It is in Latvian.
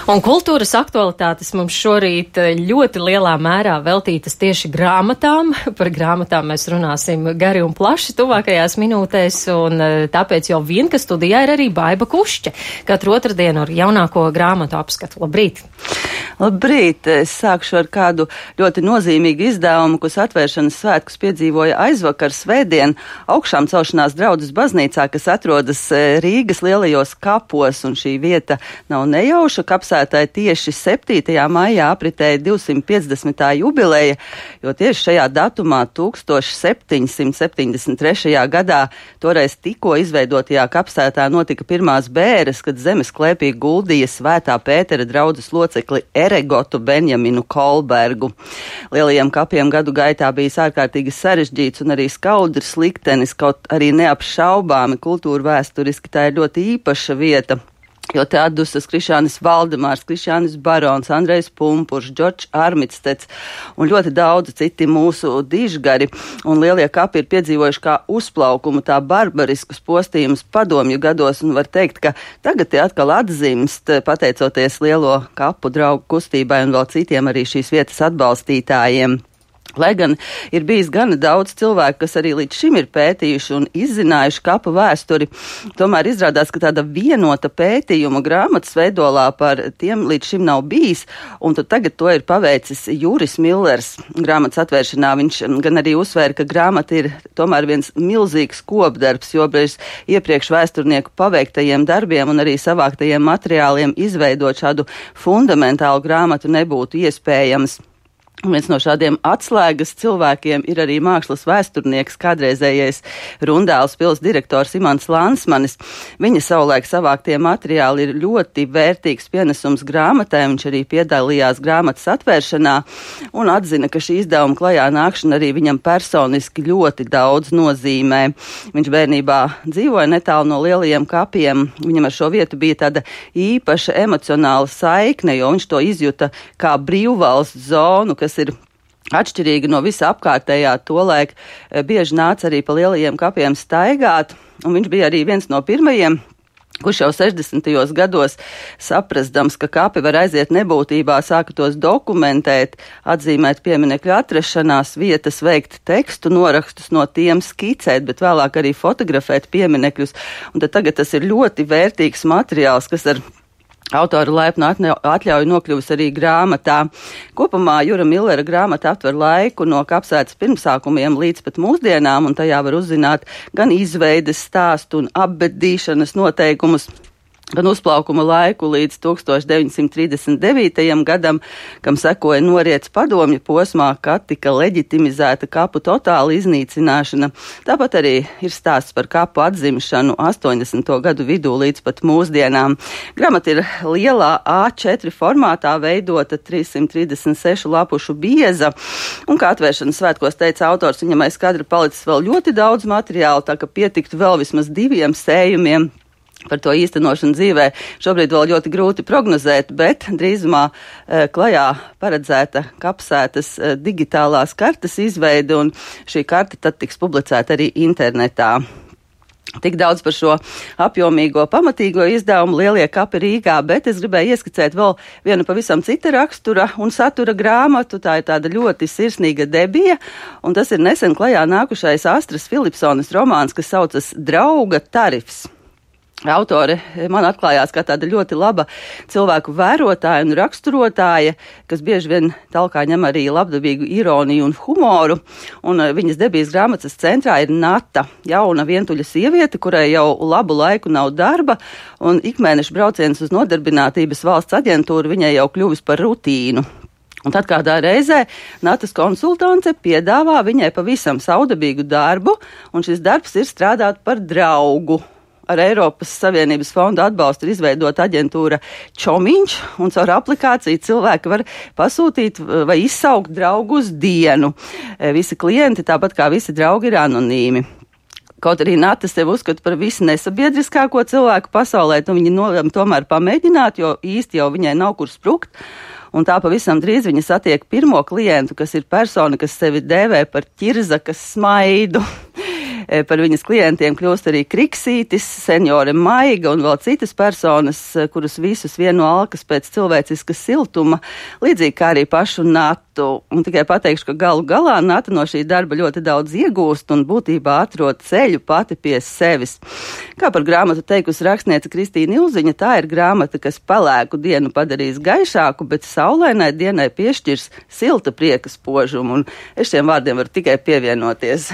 Un kultūras aktualitātes mums šorīt ļoti lielā mērā veltītas tieši grāmatām. Par grāmatām mēs runāsim gari un plaši tuvākajās minūtēs, un tāpēc jau vien, ka studijā ir arī Baiba Kušķe. Katru otrdienu ar jaunāko grāmatu apskatu. Labrīt! Labrīt! Es sākšu ar kādu ļoti nozīmīgu izdevumu, kas atvēršanas svētkus piedzīvoja aizvakar svētdien augšām celšanās draudzes baznīcā, kas atrodas Rīgas lielajos kapos, un šī vieta nav nejauša. Kapsētāji tieši 7. maijā apritēja 250. jubileja, jo tieši šajā datumā 1773. gadā toreiz tikko izveidotajā kapsētā notika pirmās bēres, kad zemes klēpī guldīja Svētā Pētera draudzes locekli Eregotu Benjaminu Kolbergu. Lielajiem kapiem gadu gaitā bijis ārkārtīgi sarežģīts un arī skaudrs liktenis, kaut arī neapšaubāmi kultūra vēsturiski tā ir ļoti īpaša vieta. Jo te atdusas Krišānis Valdemārs, Krišānis Barons, Andrejs Pumpurs, Džordžs Armitsteds un ļoti daudz citi mūsu dižgari. Un lielie kapi ir piedzīvojuši kā uzplaukumu, tā barbariskus postījumus padomju gados, un var teikt, ka tagad tie atkal atzimst, pateicoties lielo kapu draugu kustībai un vēl citiem arī šīs vietas atbalstītājiem. Lai gan ir bijis gana daudz cilvēku, kas arī līdz šim ir pētījuši un izzinājuši kapu vēsturi, tomēr izrādās, ka tāda vienota pētījuma grāmatas veidolā par tiem līdz šim nav bijis, un tad tagad to ir paveicis Juris Millers grāmatas atvēršanā. Viņš gan arī uzsvēra, ka grāmata ir tomēr viens milzīgs kopdarbs, jo bez iepriekš vēsturnieku paveiktajiem darbiem un arī savāktajiem materiāliem izveidot šādu fundamentālu grāmatu nebūtu iespējams. Viens no šādiem atslēgas cilvēkiem ir arī mākslas vēsturnieks, kādreizējais Rundāles pils direktors Imants Lansmanis. Viņa savulaik savāktie materiāli ir ļoti vērtīgs pienesums grāmatai, viņš arī piedalījās grāmatas atvēršanā un atzina, ka šī izdevuma klajā nākšana arī viņam personiski ļoti daudz nozīmē. Viņš bērnībā dzīvoja netālu no lielajiem kapiem, viņam ar šo vietu bija tāda īpaša emocionāla saikne, jo viņš to izjuta kā brīvvalsts zonu, kas ir atšķirīgi no visa apkārtējā. Tolaik bieži nāca arī pa lielajiem kapiem staigāt, un viņš bija arī viens no pirmajiem, kurš jau 60. gados saprastams, ka kapi var aiziet nebūtībā, sāka tos dokumentēt, atzīmēt pieminekļu atrašanās vietas, veikt tekstu norakstus no tiem, skicēt, bet vēlāk arī fotografēt pieminekļus. Un tad tagad tas ir ļoti vērtīgs materiāls, kas ar autora laipnu atļauju nokļuvis arī grāmatā. Kopumā Jura Millera grāmata aptver laiku no kapsētas pirmsākumiem līdz pat mūsdienām, un tajā var uzzināt gan izveides stāstu un apbedīšanas noteikumus, gan uzplaukuma laiku līdz 1939. gadam, kam sekoja noriets padomju posmā, kad tika leģitimizēta kapu totāla iznīcināšana. Tāpat arī ir stāsts par kapu atzimšanu 80. gadu vidū līdz pat mūsdienām. Grāmata ir lielā A4 formātā veidota, 336 lapušu bieza, un kā atvēršanas svētkos teica autors, viņam aiz kadra palicis vēl ļoti daudz materiālu, tā ka pietiktu vēl vismaz 2 sējumiem. Par to īstenošanu dzīvē šobrīd vēl ļoti grūti prognozēt, bet drīzumā klajā paredzēta kapsētas digitālās kartes izveide, un šī karte tad tiks publicēta arī internetā. Tik daudz par šo apjomīgo, pamatīgo izdevumu Lielie kapi Rīgā, bet es gribēju ieskicēt vēl vienu pavisam cita rakstura un satura grāmatu. Tā ir tāda ļoti sirsnīga debija, un tas ir nesen klajā nākušais Astras Filipsonas romāns, kas saucas Drauga tarifs. Autore man atklājās kā tāda ļoti laba cilvēku vērotāja un raksturotāja, kas bieži vien talkā ņem arī labdabīgu ironiju un humoru, un viņas debijas grāmatas centrā ir Nata, jauna vientuļa sieviete, kurai jau labu laiku nav darba, un ikmēneša brauciens uz nodarbinātības valsts aģentūru viņai jau kļuvis par rutīnu. Un tad kādā reizē Natas konsultante piedāvā viņai pavisam saudabīgu darbu, un šis darbs ir strādāt par draugu. Ar Eiropas Savienības fondu atbalstu ir izveidota aģentūra Čomiņš, un caur aplikāciju cilvēki var pasūtīt vai izsaukt draugu uz dienu. Visi klienti, tāpat kā visi draugi, ir anonīmi. Kaut arī Nata sevi uzskata par visnesabiedriskāko cilvēku pasaulē, viņi nolēma tomēr pamēģināt, jo īsti jau viņai nav kur sprukt. Un tā pavisam drīz viņa satiek pirmo klientu, kas ir persona, kas sevi dēvē par ķirzakas smaidu. Par viņas klientiem kļūst arī Kriksītis, seniore Maiga un vēl citas personas, kurus visus vieno alkas pēc cilvēciska siltuma, līdzīgi kā arī pašu Natu. Un tikai pateikšu, ka galu galā Nata no šī darba ļoti daudz iegūst un būtībā atrod ceļu pati pie sevis. Kā par grāmatu teikusi rakstniece Kristīna Ilziņa, tā ir grāmata, kas pelēku dienu padarīs gaišāku, bet saulainai dienai piešķirs silta prieka spožumu. Un es šiem vārdiem varu tikai pievienoties.